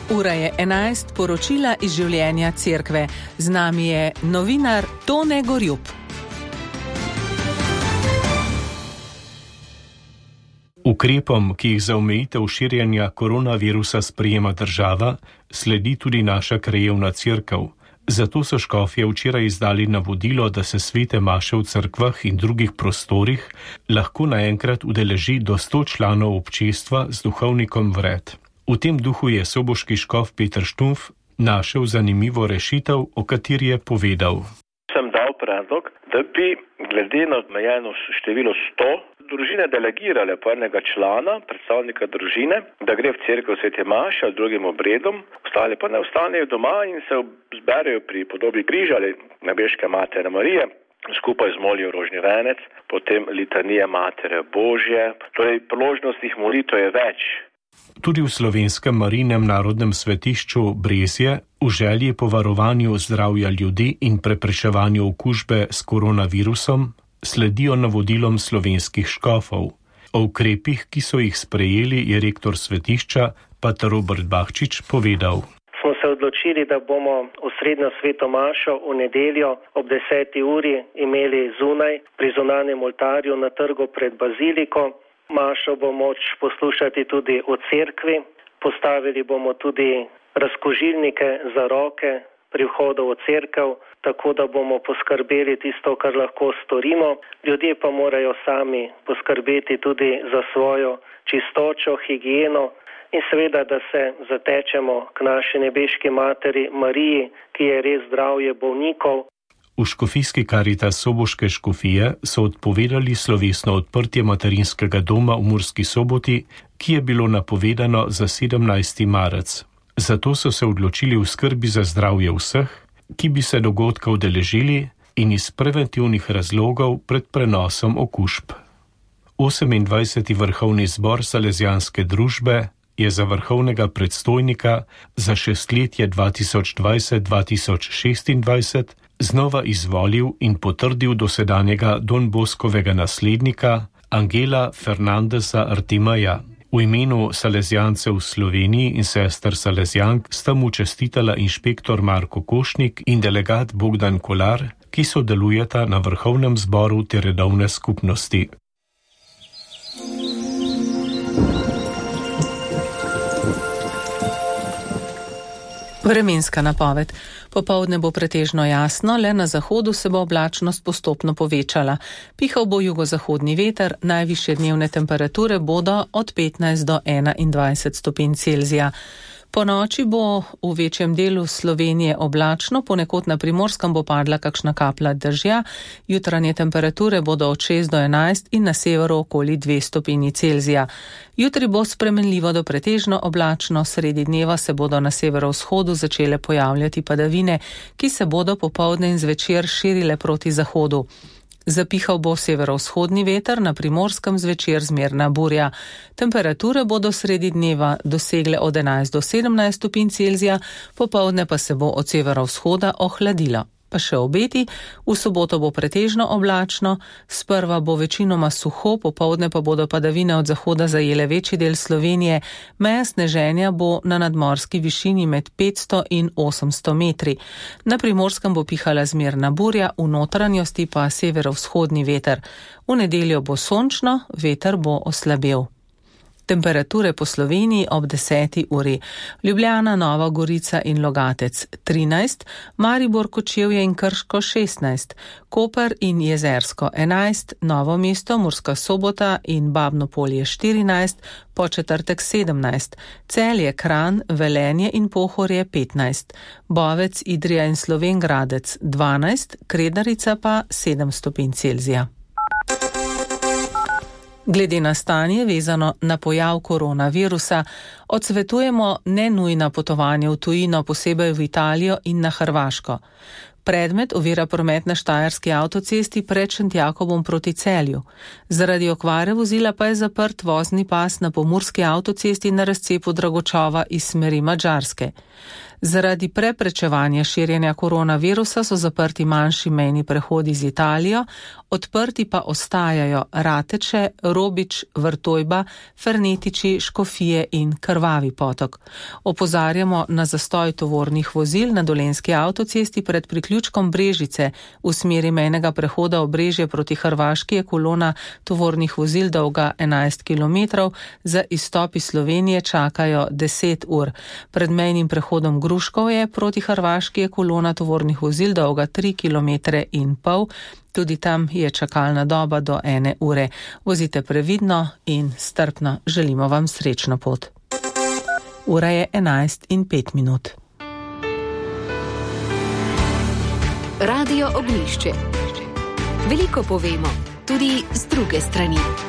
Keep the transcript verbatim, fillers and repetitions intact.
Ura je enajst, poročila iz življenja cerkve. Z nami je novinar Tone Gorjup. Ukrepom, ki jih za omejitev širjenja koronavirusa sprejema država, sledi tudi naša krajevna cerkev. Zato so škofje včeraj izdali navodilo, da se svete maše v cerkvah in drugih prostorih lahko naenkrat udeleži do sto članov občestva z duhovnikom vred. V tem duhu je soboški škof Peter Štumpf našel zanimivo rešitev, o kateri je povedal. Sem dal predlog, da bi glede na omejeno število sto družine delegirale po enega člana, predstavnika družine, da gre v cerkev svete maše ali drugim obredom, ostali pa ne ostanejo doma in se zberejo pri podobi križa ali nebeške Matere Marije, skupaj zmolijo rožni venec, potem litanije Matere Božje, torej priložnostnih molitev je več. Tudi v slovenskem Marijinem narodnem svetišču Brezje v želji po varovanju zdravja ljudi in preprečevanju okužbe s koronavirusom sledijo navodilom slovenskih škofov. O ukrepih, ki so jih sprejeli, je rektor svetišča pater Robert Bahčič povedal. Smo se odločili, da bomo osrednjo sveto mašo v nedeljo ob deseti uri imeli zunaj pri zunanjem oltarju na trgu pred baziliko. Mašo bo moč poslušati tudi v cerkvi, postavili bomo tudi razkožilnike za roke pri vhodu v cerkev, tako da bomo poskrbeli tisto, kar lahko storimo. Ljudje pa morajo sami poskrbeti tudi za svojo čistočo, higieno in seveda, da se zatečemo k naši nebeški Materi Mariji, ki je res zdravje bolnikov. V škofijski Karitas Soboške škofije so odpovedali slovesno odprtje materinskega doma v Murski Soboti, ki je bilo napovedano za sedemnajsti marec. Zato so se odločili v skrbi za zdravje vseh, ki bi se dogodka udeležili in iz preventivnih razlogov pred prenosom okužb. osemindvajseti vrhovni zbor Salezijanske družbe je za vrhovnega predstojnika za šestletje dva tisoč dvajset do dva tisoč šestindvajset znova izvolil in potrdil dosedanjega Don Boskovega naslednika Angela Fernandeza Artimaja. V imenu Salezijancev v Sloveniji in sester Salezijank sta mu čestitala inšpektor Marko Košnik in delegat Bogdan Kolar, ki sodelujeta na vrhovnem zboru te redovne skupnosti. Vremenska napoved. Popoldne bo pretežno jasno, le na zahodu se bo oblačnost postopno povečala. Pihal bo jugozahodni veter, najvišje dnevne temperature bodo od petnajst do enaindvajset stopinj Celzija. Po noči bo v večjem delu Slovenije oblačno, ponekod na Primorskem bo padla kakšna kaplja dežja, jutranje temperature bodo od šest do enajst in na severu okoli dve stopinji Celzija. Jutri bo spremenljivo do pretežno oblačno, sredi dneva se bodo na severovzhodu začele pojavljati padavine, ki se bodo popoldne in zvečer širile proti zahodu. Zapihal bo severovzhodni veter, na Primorskem zvečer zmerna burja. Temperature bodo sredi dneva dosegle od enajst do sedemnajst stopinj Celzija, popoldne pa se bo od severovzhoda ohladilo. Pa še obeti, v soboto bo pretežno oblačno, sprva bo večinoma suho, popoldne pa bodo padavine od zahoda zajele večji del Slovenije, meja sneženja bo na nadmorski višini med petsto in osemsto metri. Na Primorskem bo pihala zmerna burja, v notranjosti pa severovzhodni veter. V nedeljo bo sončno, veter bo oslabel. Temperature po Sloveniji ob deseti uri. Ljubljana, Nova Gorica in Logatec trinajst, Maribor, Kočevje in Krško šestnajst, Koper in Jezersko enajst, Novo mesto, Murska Sobota in Babno Polje štirinajst, Podčetrtek sedemnajst, Celje, Kranj, Velenje in Pohorje petnajst, Bovec, Idrija in Slovenj Gradec dvanajst, Kredarica pa sedem stopinj Celzija. Glede na stanje vezano na pojav koronavirusa, odsvetujemo nenujna potovanja v tujino, posebej v Italijo in na Hrvaško. Predmet ovira promet na štajerski avtocesti pred Šentjakobom proti Celju. Zaradi okvare vozila pa je zaprt vozni pas na pomurski avtocesti na razcepu Dragočova iz smeri Madžarske. Zaradi preprečevanja širjenja koronavirusa so zaprti manjši mejni prehodi z Italijo, odprti pa ostajajo Rateče, Robič, Vrtojba, Fernetiči, Škofije in Krvavi potok. Opozarjamo na zastoj tovornih vozil na Dolenjski avtocesti pred priključkom Brežice. V smeri mejnega prehoda Obrežje proti Hrvaški je kolona tovornih vozil dolga enajst kilometrov, za izstop iz Slovenije čakajo deset ur. Pred mejnim prehodom Gruškovje proti Hrvaški je kolona tovornih vozil dolga tri kilometre in pol. Tudi tam je čakalna doba do ene ure. Vozite previdno in strpno, želimo vam srečno pot. Ura je enajst in pet minut. Radio Ognjišče. Veliko povemo, tudi z druge strani.